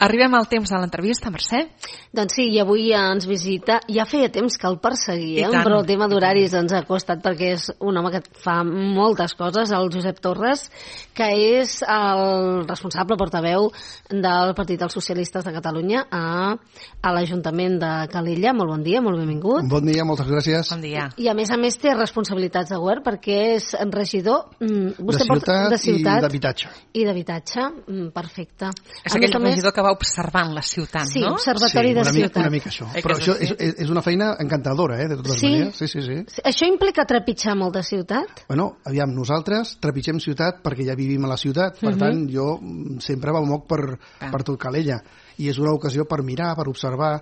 Arribem al temps de l'entrevista, Mercè. Doncs sí, i avui ens visita, ja feia temps que el perseguíem, però el tema d'horaris ens ha costat perquè és un home que fa moltes coses, el Josep Torres, que és el responsable portaveu del Partit dels Socialistes de Catalunya a l'Ajuntament de Calella. Molt bon dia, molt benvingut. Bon dia, moltes gràcies. Bon dia. I a més té responsabilitats de govern perquè és regidor de ciutat i d'habitatge. I d'habitatge, perfecte. És aquell regidor que va observant la ciutat, sí, no? Observatori de ciutat. Una mica això. Però això és una feina encantadora, de totes maneres. Sí. Això implica trepitjar molt de ciutat? Bueno, aviam, nosaltres trepitgem ciutat perquè ja vivim a la ciutat. Per tant, jo sempre moc per tot Calella. I és una ocasió per mirar, per observar.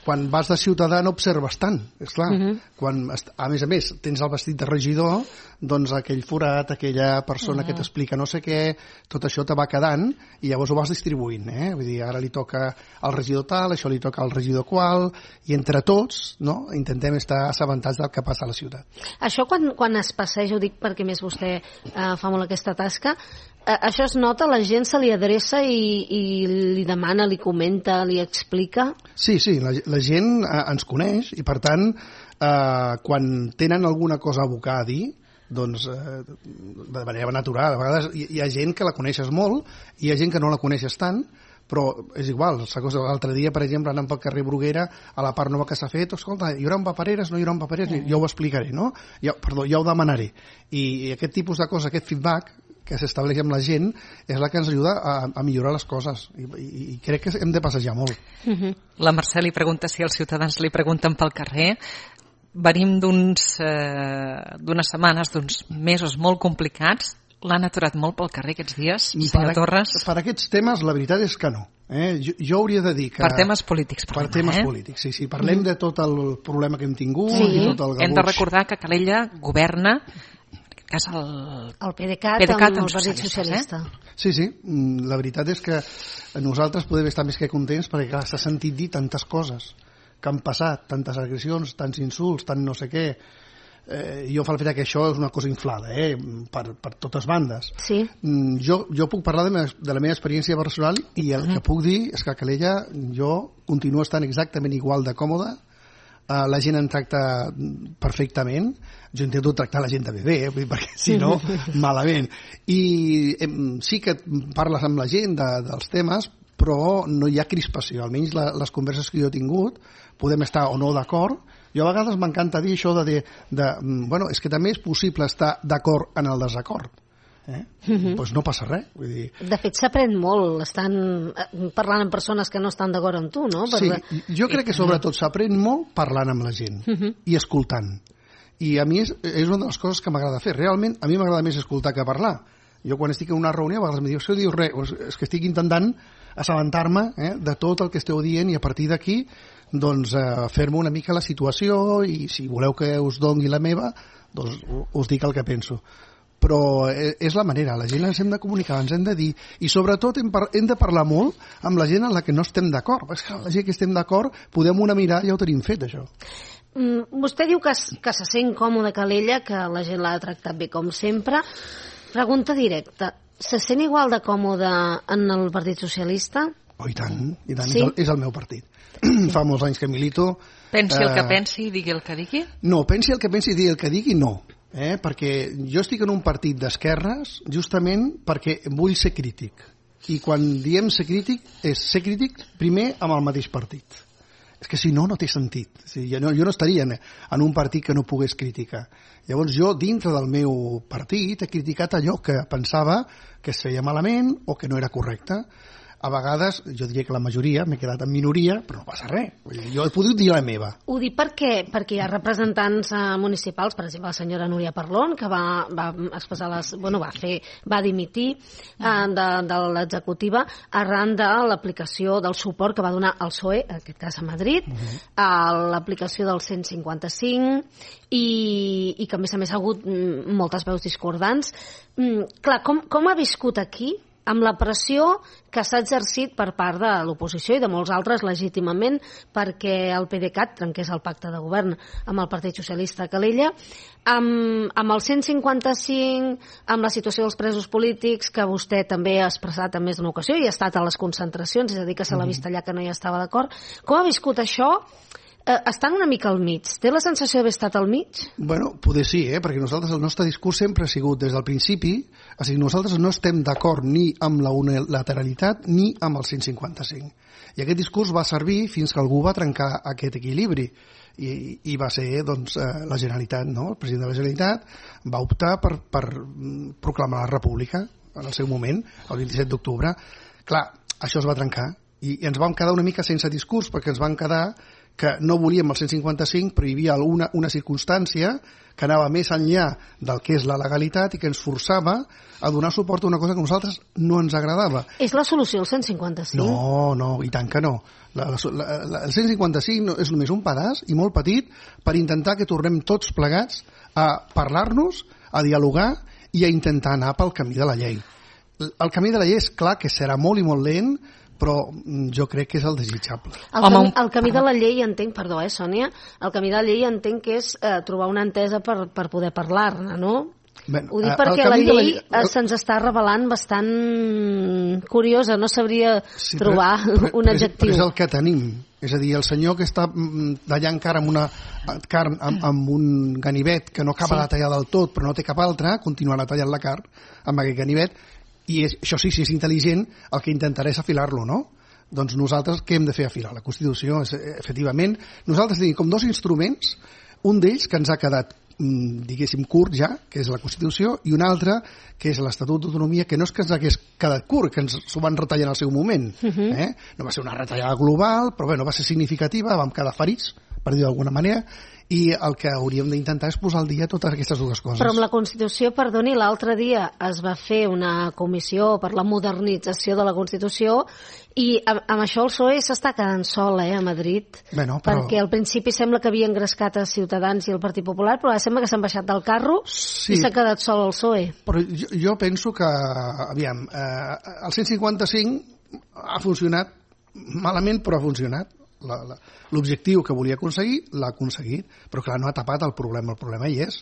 Quan vas de ciutadà no observes tant, esclar. Quan, a més, tens el vestit de regidor, doncs aquell forat, aquella persona que t'explica no sé què, tot això te va quedant i llavors ho vas distribuint, Vull dir, ara li toca al regidor tal, això li toca al regidor qual, i entre tots, no?, intentem estar assabentats del que passa a la ciutat. Això quan es passeja, ho dic perquè més vostè fa molt aquesta tasca, això es nota, la gent se li adreça i li demana, li comenta, li explica? Sí, la gent ens coneix i per tant quan tenen alguna cosa a abocar a dir, doncs de manera natural, a vegades hi ha gent que la coneixes molt i hi ha gent que no la coneixes tant, però és igual. L'altre dia, per exemple, anant pel carrer Bruguera, a la part nova que s'ha fet, escolta, hi haurà papereres, no hi haurà papereres, jo ho explicaré, no? Ja ho demanaré. I aquest tipus de cosa, aquest feedback que s'estableix amb la gent és la que ens ajuda a millorar les coses i crec que hem de passejar molt. La Mercè li pregunta si els ciutadans li pregunten pel carrer. Venim d'unes setmanes, d'uns mesos molt complicats. L'han aturat molt pel carrer aquests dies, senyor Torres? Per aquests temes la veritat és que no. Jo hauria de dir que... Per temes polítics parlem, Per temes polítics, sí. Parlem de tot el problema que hem tingut i tot el gabuix. Hem de recordar que Calella governa el PDeCAT amb el Partit Socialista. Sí, la veritat és que nosaltres podem estar més que contents perquè clar, s'ha sentit dir tantes coses que han passat, tantes agressions, tants insults, tant no sé què. Jo fa el fet que això és una cosa inflada per totes bandes. Sí. Jo puc parlar de la meva experiència personal i el que puc dir és que a Calella jo continuo estant exactament igual de còmode. La gent em tracta perfectament, jo intento tractar la gent també bé, perquè si no, malament. I sí que parles amb la gent dels temes, però no hi ha crispació, almenys les converses que jo he tingut, podem estar o no d'acord. Jo a vegades m'encanta dir això bueno, és que també és possible estar d'acord en el desacord. Doncs no passa res, vull dir. De fet s'aprèn molt estan parlant amb persones que no estan d'acord amb tu, no? Sí, jo crec que sobretot s'aprèn molt parlant amb la gent i escoltant, i a mi és una de les coses que m'agrada fer. Realment a mi m'agrada més escoltar que parlar. Jo quan estic en una reunió a vegades em diu res, és que estic intentant assabentar-me de tot el que esteu dient i a partir d'aquí doncs fer-me una mica la situació i si voleu que us doni la meva doncs us dic el que penso. Però és la manera, la gent ens hem de comunicar, ens hem de dir, i sobretot hem de parlar molt amb la gent en la que no estem d'acord, perquè la gent que estem d'acord podem una mirada i ja ho tenim fet, això. Vostè diu que se sent còmode a Calella, que la gent l'ha tractat bé com sempre. Pregunta directa, se sent igual de còmode en el Partit Socialista? Oh, i tant, sí? És el meu partit. Fa molts anys que milito. Pensi el que pensi i digui el que digui? No, pensi el que pensi i digui el que digui, no. Perquè jo estic en un partit d'esquerres justament perquè vull ser crític i quan diem ser crític és ser crític primer amb el mateix partit. És que si no, no té sentit. Jo no estaria en un partit que no pogués criticar. Llavors jo dintre del meu partit he criticat allò que pensava que es feia malament o que no era correcte. A vegades, jo diria que la majoria, m'he quedat en minoria, però no passa res. Jo he pogut dir la meva. Ho dic perquè hi ha representants municipals, per exemple, la senyora Núria Parlon, que va expressar va dimitir de l'executiva arran de l'aplicació del suport que va donar el PSOE, en aquest cas a Madrid, a l'aplicació del 155, i que a més ha hagut moltes veus discordants. Clar, com ha viscut aquí amb la pressió que s'ha exercit per part de l'oposició i de molts altres legítimament perquè el PDeCAT trenqués el pacte de govern amb el Partit Socialista a Calella, amb el 155, amb la situació dels presos polítics, que vostè també ha expressat en més d'una ocasió i ha estat a les concentracions, és a dir, que se l'ha vist allà que no hi estava d'acord. Com ha viscut això? Estan una mica al mig. Té la sensació d'haver estat al mig? Bueno, poder sí, perquè nosaltres el nostre discurs sempre ha sigut des del principi, o sigui, nosaltres no estem d'acord ni amb la unilateralitat ni amb el 155. I aquest discurs va servir fins que algú va trencar aquest equilibri i va ser doncs, la Generalitat, no? El president de la Generalitat va optar per proclamar la República en el seu moment, el 27 d'octubre. Clar, això es va trencar i ens vam quedar una mica sense discurs perquè ens van quedar que no volíem el 155, però hi havia una circumstància que anava més enllà del que és la legalitat i que ens forçava a donar suport a una cosa que a nosaltres no ens agradava. És la solució el 155? No, i tant que no. El 155 és només un pedaç i molt petit per intentar que tornem tots plegats a parlar-nos, a dialogar i a intentar anar pel camí de la llei. El camí de la llei és clar que serà molt i molt lent, però jo crec que és el desitjable. El camí de la llei entenc, perdó, Sònia, el camí de la llei entenc que és trobar una entesa per poder parlar-ne, no? Bé, ho dic perquè la llei se'ns està revelant bastant curiosa, no sabria trobar un adjectiu. Però és el que tenim, és a dir, el senyor que està tallant carn amb una carn amb un ganivet que no acaba de tallar del tot però no té cap altra, continuarà tallant la carn amb aquest ganivet. I això sí, si és intel·ligent, el que intentarà és afilar-lo, no? Doncs nosaltres què hem de fer? Afilar la Constitució, efectivament. Nosaltres tenim com dos instruments, un d'ells que ens ha quedat, diguéssim, curt ja, que és la Constitució, i un altre, que és l'Estatut d'Autonomia, que no és que ens hagués quedat curt, que ens s'ho van retallar en el seu moment. No va ser una retallada global, però bueno, va ser significativa, vam quedar ferits, per dir d'alguna manera, i el que hauríem d'intentar és posar al dia totes aquestes dues coses. Però amb la Constitució, perdoni, l'altre dia es va fer una comissió per la modernització de la Constitució i amb això el PSOE s'està quedant sol a Madrid, perquè al principi sembla que havia engrescat a Ciutadans i el Partit Popular, però ara sembla que s'han baixat del carro i s'ha quedat sol el PSOE. Però jo penso que, aviam, el 155 ha funcionat malament, però ha funcionat. L'objectiu que volia aconseguir l'ha aconseguit, però clar, no ha tapat el problema hi és,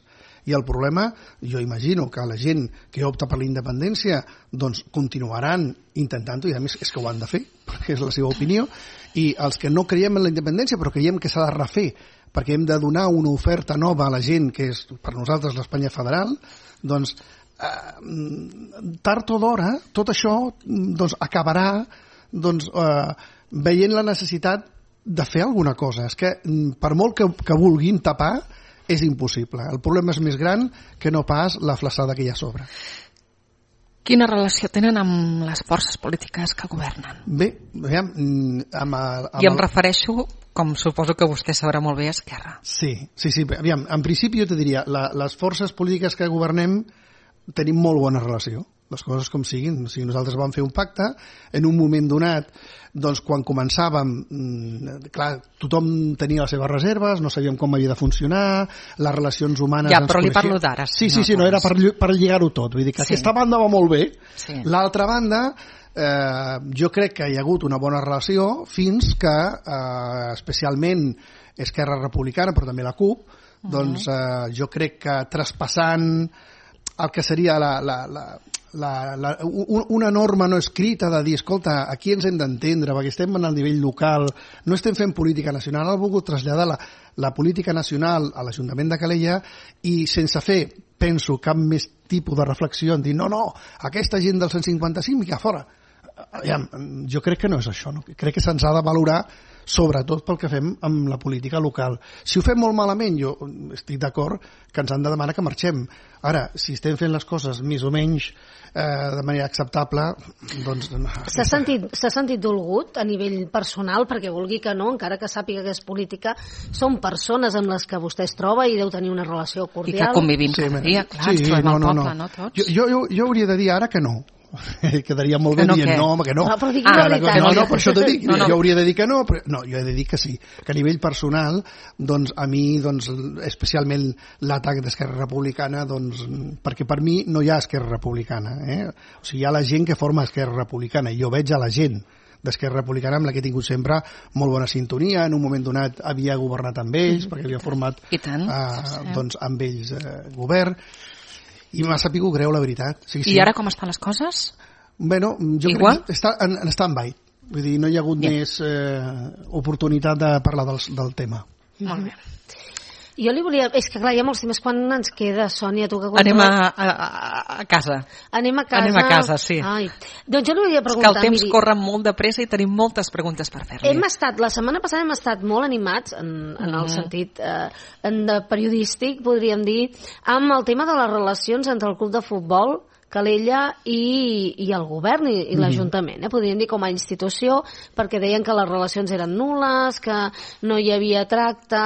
i el problema, jo imagino que la gent que opta per la independència doncs continuaran intentant-ho, i a més és que ho han de fer, perquè és la seva opinió, i els que no creiem en la independència però creiem que s'ha de refer perquè hem de donar una oferta nova a la gent, que és per nosaltres l'Espanya federal, doncs tard o d'hora tot això doncs acabarà veient la necessitat de fer alguna cosa. És que per molt que vulguin tapar és impossible. El problema és més gran que no pas la flaçada que hi ha a sobre. Quina relació tenen amb les forces polítiques que governen? Bé, aviam... I em refereixo, com suposo que vostè sabrà molt bé, a Esquerra. Sí. Aviam, en principi jo te diria, les forces polítiques que governem tenim molt bona relació, les coses com siguin. O sigui, nosaltres vam fer un pacte en un moment donat, doncs quan començàvem, clar, tothom tenia les seves reserves, no sabíem com havia de funcionar, les relacions humanes... Ja, però li parlo d'ara. Sí, no, era per lligar-ho tot. Vull dir que aquesta banda va molt bé. L'altra banda, jo crec que hi ha hagut una bona relació fins que, especialment Esquerra Republicana, però també la CUP, doncs jo crec que traspassant el que seria una norma no escrita de dir, escolta, aquí ens hem d'entendre perquè estem en el nivell local, no estem fent política nacional, ha volgut traslladar la política nacional a l'Ajuntament de Calella i sense fer, penso, cap més tipus de reflexió en dir, no, aquesta gent del 155 mica fora. Jo crec que no és això, no? Crec que se'ns ha de valorar sobretot pel que fem amb la política local. Si ho fem molt malament, jo estic d'acord que ens han de demanar que marxem. Ara, si estem fent les coses més o menys de manera acceptable, doncs... S'ha sentit dolgut a nivell personal, perquè vulgui que no, encara que sàpiga que és política, són persones amb les que vostè es troba i deu tenir una relació cordial. I que convivim cada dia, clar, ens trobem al poble, no tots? Jo hauria de dir ara que no. quedaria molt bé dient no, home, que no. Però digui la veritat. No, per això t'ho dic. Jo hauria de dir que no, però no, jo he de dir que sí. Que a nivell personal, doncs, a mi, doncs, especialment l'atac d'Esquerra Republicana, doncs, perquè per mi no hi ha Esquerra Republicana. O sigui, hi ha la gent que forma Esquerra Republicana, i jo veig a la gent d'Esquerra Republicana amb la que he tingut sempre molt bona sintonia, en un moment donat havia governat amb ells, perquè havia format doncs, amb ells govern, i m'ha sapigut greu, la veritat. Sí. I ara com estan les coses? Bueno, jo crec que està en stand-by. Vull dir, no hi ha hagut més oportunitat de parlar del tema. Molt bé. Jo li volia... És que clar, hi ha molts temes. Quan ens queda, Sònia? Tu que anem a casa. Anem a casa. Anem a casa, sí. Ai. Doncs jo li volia preguntar... És que el temps corre molt de pressa i tenim moltes preguntes per fer-li. La setmana passada hem estat molt animats, en el sentit periodístic, podríem dir, amb el tema de les relacions entre el club de futbol, Calella i el govern i l'Ajuntament, podríem dir com a institució, perquè deien que les relacions eren nul·les, que no hi havia tracte,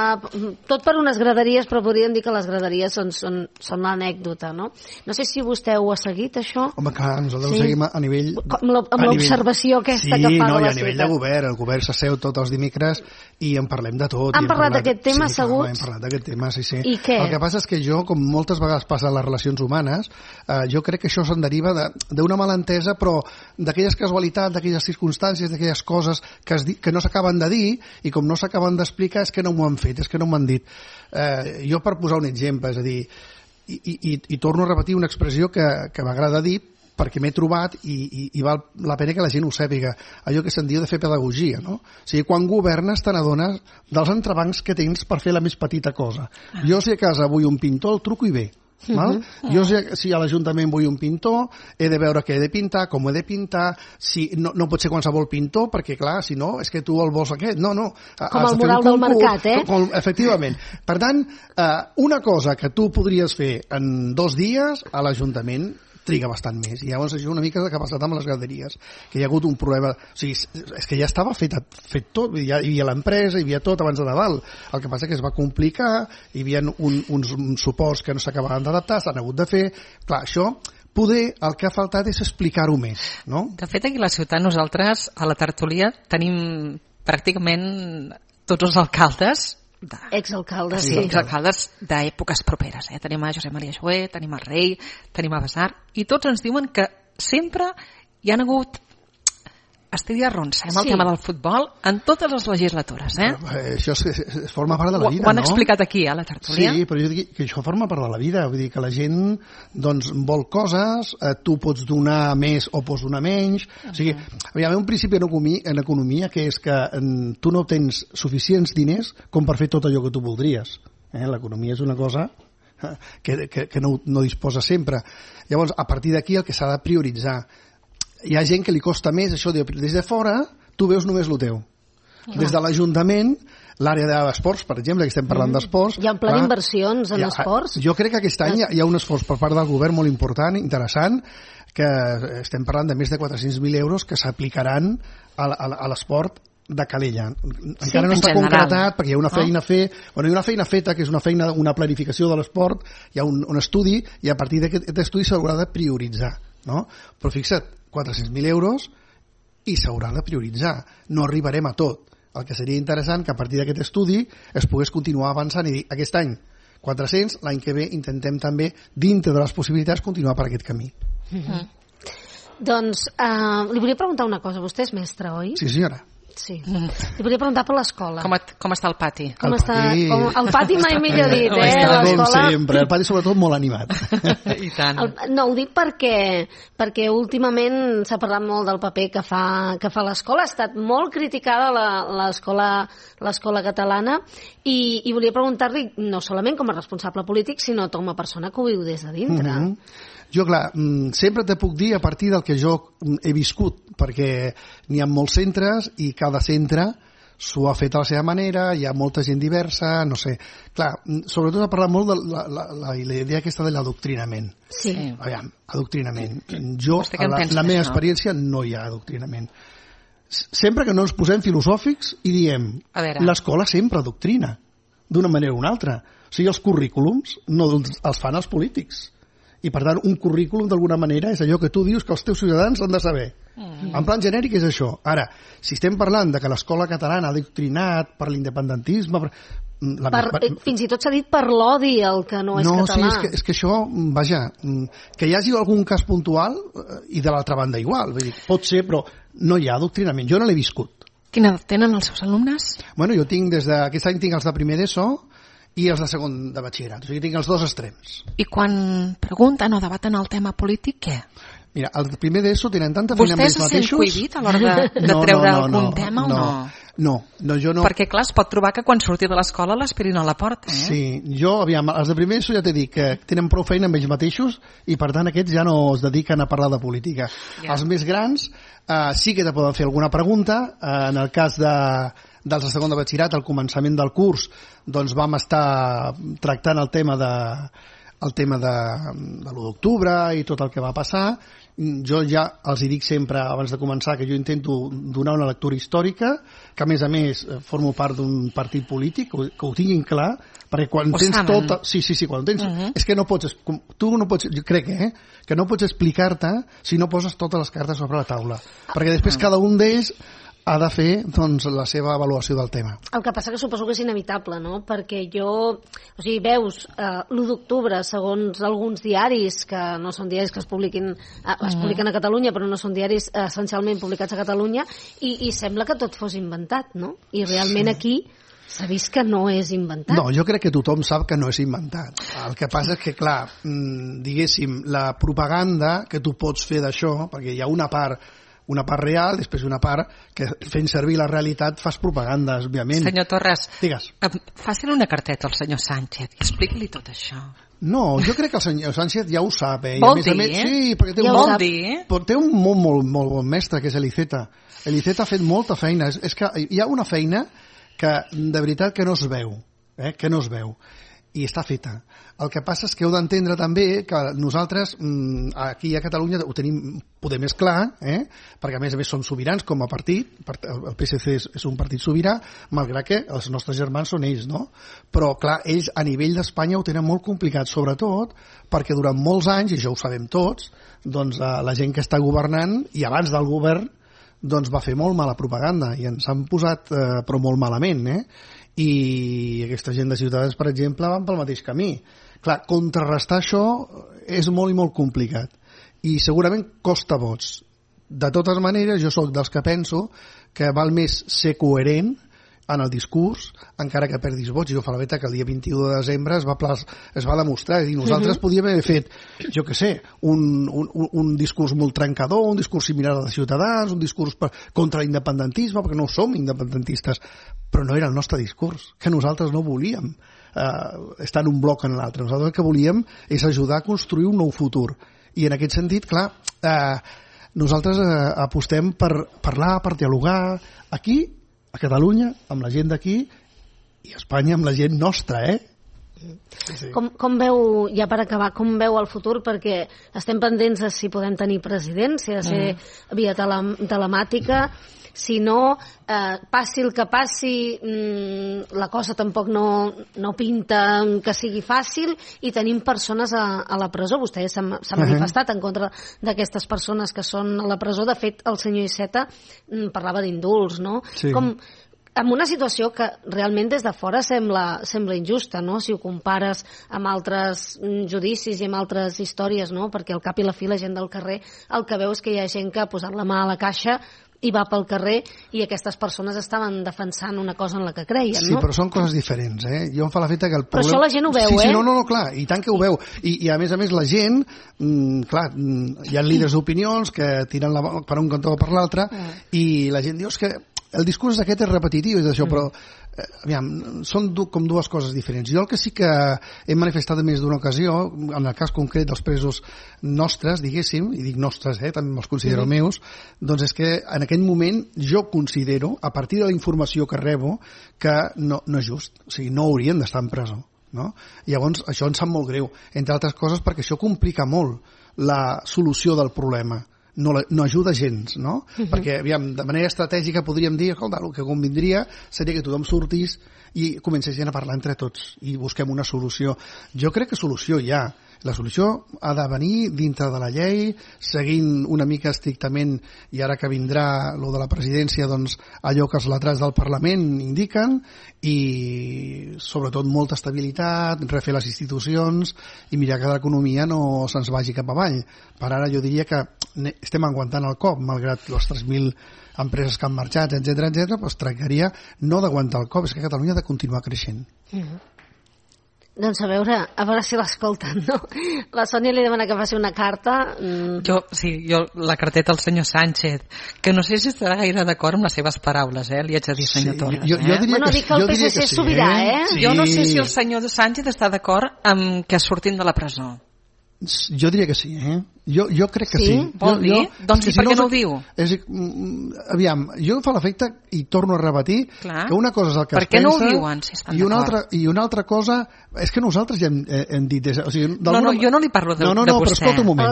tot per unes graderies, però podríem dir que les graderies són l'anècdota, no? No sé si vostè ho ha seguit, això. Home, clar, nosaltres ho seguim a nivell... Amb l'observació aquesta que fa de la ciutat. Sí, no, i a nivell de govern, el govern s'asseu tots els dimecres i en parlem de tot. Han parlat d'aquest tema, asseguts? Hem parlat d'aquest tema, sí. I què? El que passa és que jo, com moltes vegades passa en les relacions humanes, jo crec que això se'n deriva d'una malentesa, però d'aquelles casualitats, d'aquelles circumstàncies, d'aquelles coses que no s'acaben de dir, i com no s'acaben d'explicar és que no m'ho han fet, és que no m'ho han dit. Jo, per posar un exemple, és a dir, i torno a repetir una expressió que m'agrada dir, perquè m'he trobat i val la pena que la gent ho sàpiga, allò que se'n diu de fer pedagogia, no? O sigui, quan governes te n'adones dels entrebancs que tens per fer la més petita cosa. Jo, si a casa vull un pintor, el truco i ve. Val? Jo si a l'Ajuntament vull un pintor, he de veure què he de pintar, com ho he de pintar, si no pot ser qualsevol pintor, perquè clar, si no, és que tu el vols aquest, no. Com el mural del mercat, efectivament. Per tant, una cosa que tu podries fer en 2 dies, a l'Ajuntament triga bastant més, i llavors això una mica que ha passat amb les graderies, que hi ha hagut un problema, o sigui, és que ja estava fet tot, hi havia l'empresa, hi havia tot abans de Nadal, el que passa que es va complicar, hi havia uns suports que no s'acabaven d'adaptar, s'han hagut de fer, clar, això poder el que ha faltat és explicar-ho més, no? De fet, aquí a la ciutat nosaltres, a la tertúlia, tenim pràcticament tots els alcaldes exalcaldes, sí, exalcaldes d'èpoques properes. Tenim a Josep Maria Joé, tenim a Rei, tenim a Besar, i tots ens diuen que sempre hi han hagut estiria ronsa amb el tema del futbol en totes les legislatures. Això forma part de la vida, no? Ho han explicat aquí, a la tertúlia. Sí, però jo dic que això forma part de la vida. Vull dir que la gent doncs, vol coses, tu pots donar més o pots donar menys. O sigui, hi ha un principi en economia que és que tu no tens suficients diners com per fer tot allò que tu voldries. L'economia és una cosa que no disposa sempre. Llavors, a partir d'aquí el que s'ha de prioritzar. Hi ha gent que li costa més això, des de fora tu veus només el teu. Des de l'Ajuntament, l'àrea d'esports, per exemple, que estem parlant d'esports... Hi ha un pla d'inversions en esports? Jo crec que aquest any hi ha un esforç per part del govern molt important, interessant, que estem parlant de més de 400.000 euros que s'aplicaran a l'esport de Calella. Encara no està concretat perquè hi ha una feina a fer, hi ha una feina feta que és una planificació de l'esport, hi ha un estudi i a partir d'aquest estudi s'haurà de prioritzar, no? Però fixa't, 400.000 euros i s'haurà de prioritzar. No arribarem a tot. El que seria interessant que a partir d'aquest estudi es pogués continuar avançant i dir, aquest any 400, l'any que ve intentem també, dintre de les possibilitats, continuar per aquest camí. Doncs li volia preguntar una cosa. Vostè és mestre, oi? Sí, senyora. Sí. Li volia preguntar per l'escola. Com està el pati? El pati mai millor dit, Com sempre, el pati sobretot molt animat. I tant. No, ho dic perquè últimament s'ha parlat molt del paper que fa l'escola. Ha estat molt criticada l'escola catalana i volia preguntar-li no solament com a responsable polític, sinó com a persona que ho viu des de dintre. Jo, clar, sempre te puc dir a partir del que jo he viscut, perquè n'hi ha molts centres i cada centre s'ho ha fet a la seva manera, hi ha molta gent diversa, no sé. Clar, sobretot ha parlat molt de la idea aquesta de l'adoctrinament. Sí. Aviam, adoctrinament. Jo, a la meva experiència, no hi ha adoctrinament. Sempre que no ens posem filosòfics i diem, l'escola sempre adoctrina, d'una manera o una altra. O sigui, els currículums no els fan els polítics. I, per tant, un currículum, d'alguna manera, és allò que tu dius que els teus ciutadans han de saber. En plan genèric és això. Ara, si estem parlant de que l'escola catalana ha adoctrinat per l'independentisme... Fins i tot s'ha dit per l'odi al que no és català. Sí, és que això, vaja, que hi hagi algun cas puntual i de l'altra banda igual. Vull dir, pot ser, però no hi ha adoctrinament. Jo no l'he viscut. Quina edat tenen els seus alumnes? Bueno, jo tinc aquest any tinc els de primer d'ESO i els de segon de batxillerat. O sigui, tinc els dos extrems. I quan pregunten o debaten el tema polític, què? Mira, els de primer d'ESO tenen tanta feina amb ells mateixos... Vostè se sent cohibit a l'hora de treure algun tema o no? No, jo no... Perquè, clar, es pot trobar que quan surti de l'escola l'aspirin a la porta, eh? Sí, jo, aviam, els de primer d'ESO ja t'he dit que tenen prou feina amb ells mateixos i, per tant, aquests ja no es dediquen a parlar de política. Els més grans sí que te poden fer alguna pregunta. En el cas dels de segon de batxillerat, al començament del curs, doncs vam estar tractant el tema de l'1 d'octubre i tot el que va passar. Jo ja els hi dic sempre, abans de començar, que jo intento donar una lectura històrica, que a més formo part d'un partit polític, que ho tinguin clar, perquè quan tens tot... Sí, quan tens... És que no pots... Tu no pots... Jo crec que no pots explicar-te si no poses totes les cartes sobre la taula. Perquè després cada un d'ells ha de fer, doncs, la seva avaluació del tema. El que passa que suposo que és inevitable, no? Perquè o sigui, veus l'1 d'octubre, segons alguns diaris, que no són diaris que es publiquen a Catalunya, però no són diaris essencialment publicats a Catalunya, i sembla que tot fos inventat, no? I realment aquí s'ha vist que no és inventat. No, jo crec que tothom sap que no és inventat. El que passa és que, clar, diguéssim, la propaganda que tu pots fer d'això, perquè hi ha una part real, després una part que fent servir la realitat fas propaganda, òbviament. Senyor Torres, digues. Faci una carteta al senyor Sánchez i expliqui-li tot això. No, jo crec que el senyor Sánchez ja ho sap. Vol dir? Sí, perquè té un molt bon mestre, que és l'Iceta. L'Iceta ha fet molta feina. És que hi ha una feina que de veritat que no es veu. Que no es veu. I està feta. El que passa és que heu d'entendre també que nosaltres aquí a Catalunya ho tenim poder més clar, perquè a més som sobirans com a partit, el PSC és un partit sobirà, malgrat que els nostres germans són ells, no? Però clar, ells a nivell d'Espanya ho tenen molt complicat, sobretot perquè durant molts anys, i això ho sabem tots, doncs la gent que està governant i abans del govern doncs va fer molt mala propaganda i ens han posat però molt malament, i aquesta gent de Ciutadans, per exemple, van pel mateix camí. Clar, contrarrestar això és molt i molt complicat i segurament costa vots. De totes maneres, jo sóc dels que penso que val més ser coherent en el discurs, encara que perdis vots. Jo fa la veta que el dia 21 de desembre es va demostrar, és a dir, nosaltres podíem haver fet, jo què sé, un discurs molt trencador, un discurs similar al de Ciutadans, un discurs contra l'independentisme, perquè no som independentistes, però no era el nostre discurs, que nosaltres no volíem estar en un bloc en l'altre. Nosaltres el que volíem és ajudar a construir un nou futur. I en aquest sentit, clar, nosaltres apostem per parlar, per dialogar aquí, a Catalunya, amb la gent d'aquí, i a Espanya amb la gent nostra, Sí. Com veu, ja per acabar, com veu el futur? Perquè estem pendents de si podem tenir president, si ha de ser via telemàtica, si no, passi el que passi, la cosa tampoc no pinta que sigui fàcil i tenim persones a la presó. Vostè s'ha manifestat en contra d'aquestes persones que són a la presó. De fet, el senyor Iceta parlava d'indults, no? Sí. En una situació que realment des de fora sembla injusta, no? Si ho compares amb altres judicis i amb altres històries, no? Perquè al cap i la fi la gent del carrer el que veu és que hi ha gent que ha posat la mà a la caixa i va pel carrer i aquestes persones estaven defensant una cosa en la que creien, no? Sí, però són coses diferents, Jo em fa la feta que el problema... Però això la gent ho veu, Sí, no, clar, i tant que ho veu. I a més la gent, clar, hi ha líders d'opinions que tiren la per un cantó o per l'altre i la gent diu que el discurs aquest és repetitiu, és això, però aviam, són com dues coses diferents. Jo el que sí que he manifestat en més d'una ocasió, en el cas concret dels presos nostres, diguéssim, i dic nostres, també me'ls considero meus, doncs és que en aquell moment jo considero, a partir de la informació que rebo, que no és just, o sigui, no haurien d'estar en presó. No? Llavors, això em sap molt greu, entre altres coses perquè això complica molt la solució del problema. No ajuda gens, no? Perquè, aviam, de manera estratègica podríem dir, escolta, el que convindria seria que tothom sortís i comencessin a parlar entre tots i busquem una solució. Jo crec que solució hi ha. La solució ha de venir dintre de la llei, seguint una mica estrictament, i ara que vindrà lo de la presidència, doncs allò que els lletrats del Parlament indiquen, i sobretot molta estabilitat, refer les institucions i mirar que l'economia no se'ns vagi cap avall. Per ara jo diria que estem aguantant el cop, malgrat les 3.000 empreses que han marxat, etc doncs tractaria no d'aguantar el cop, és que Catalunya ha de continuar creixent. Doncs a veure si l'escolten, no? La Sònia li demana que faci una carta. Jo la carteta al senyor Sánchez, que no sé si estarà gaire d'acord amb les seves paraules, li haig de dir, senyor Torres. Jo diria dic que el PSC és sobirà, Sí. Jo no sé si el senyor Sánchez està d'acord amb que surtin de la presó. Jo diria que sí, Jo crec que sí. Vol dir? Doncs per què no ho diu? Aviam, jo em fa l'efecte, i torno a repetir, que una cosa és el que es pensa... Per què no ho diuen, si estan d'acord? I una altra cosa... És que nosaltres ja hem dit... Jo no li parlo de vostè. Però escolta un moment.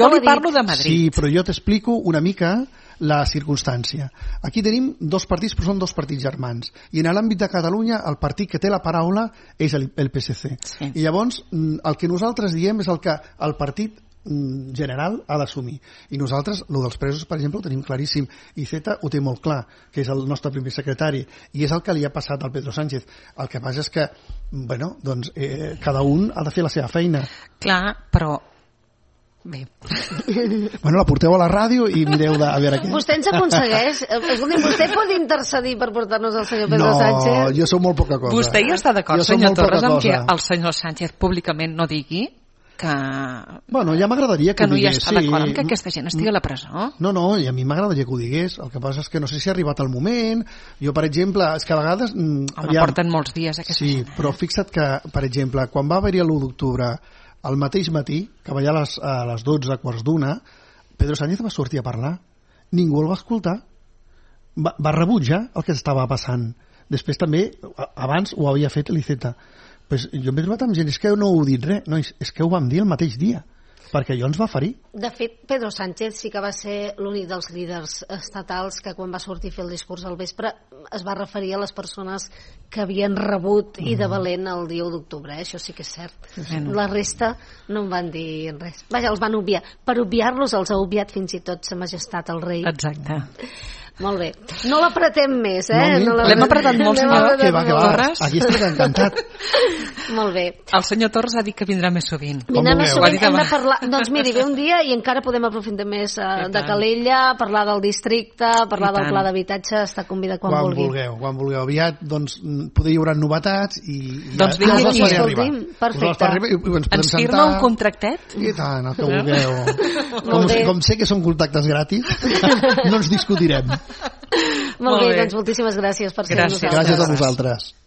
Jo li parlo de Madrid. Sí, però jo t'explico una mica la circumstància. Aquí tenim dos partits, però són dos partits germans. I en l'àmbit de Catalunya, el partit que té la paraula és el PSC. Sí. I llavors, el que nosaltres diem és el que el partit general ha d'assumir. I nosaltres, el dels presos, per exemple, ho tenim claríssim. Iceta ho té molt clar, que és el nostre primer secretari, i és el que li ha passat al Pedro Sánchez. El que passa és que, cada un ha de fer la seva feina. Clar, però... Bé. La porteu a la ràdio i mireu a veure què. Vostè ens aconsegueix? Vostè pot intercedir per portar-nos al senyor Pedro Sánchez? No, jo sóc molt poca cosa. Vostè ja està d'acord, senyor Torres, amb que el senyor Sánchez públicament no digui que... ja m'agradaria que ho digués. Que no hi està d'acord amb que aquesta gent estigui a la presó? No, i a mi m'agradaria que ho digués. El que passa és que no sé si ha arribat el moment. Jo, per exemple, és que a vegades... porten molts dies aquesta gent. Sí, però fixa't que, per exemple, quan va haver-hi l'1 d'octubre, al mateix matí, que va allà a les 12, quarts d'una, Pedro Sánchez va sortir a parlar. Ningú el va escoltar. Va rebutjar el que estava passant. Després també, abans ho havia fet l'Iceta. Pues jo m'he trobat amb gent, és que no heu dit res, no, és que ho vam dir el mateix dia, perquè allò ens va ferir. De fet, Pedro Sánchez sí que va ser l'únic dels líders estatals que quan va sortir a fer el discurs al vespre es va referir a les persones que havien rebut i de valent el dia 1 d'octubre, això sí que és cert. La resta no en van dir res. Vaja, els van obviar. Per obviar-los els ha obviat fins i tot sa majestat el rei. Exacte. Molt bé. No l'apretem més, L'hem apretat molt, senyor Torres. Aquí estic encantat. Molt bé. El senyor Torres ha dit que vindrà més sovint. Vindrà més sovint, hem de parlar... Doncs miri, ve un dia i encara podem aprofitar més de Calella, parlar del districte, parlar del pla d'habitatge, està convidat quan vulgui. Quan vulgueu. Aviat, doncs, poder hi haurà novetats i... Doncs vingui aquí, escolti'm. Perfecte. Ens firma un contractet? I tant, el que vulgueu. Com sé que són contactes gratis, no ens discutirem. Molt bé, doncs moltíssimes gràcies per ser amb nosaltres. Gràcies a vosaltres.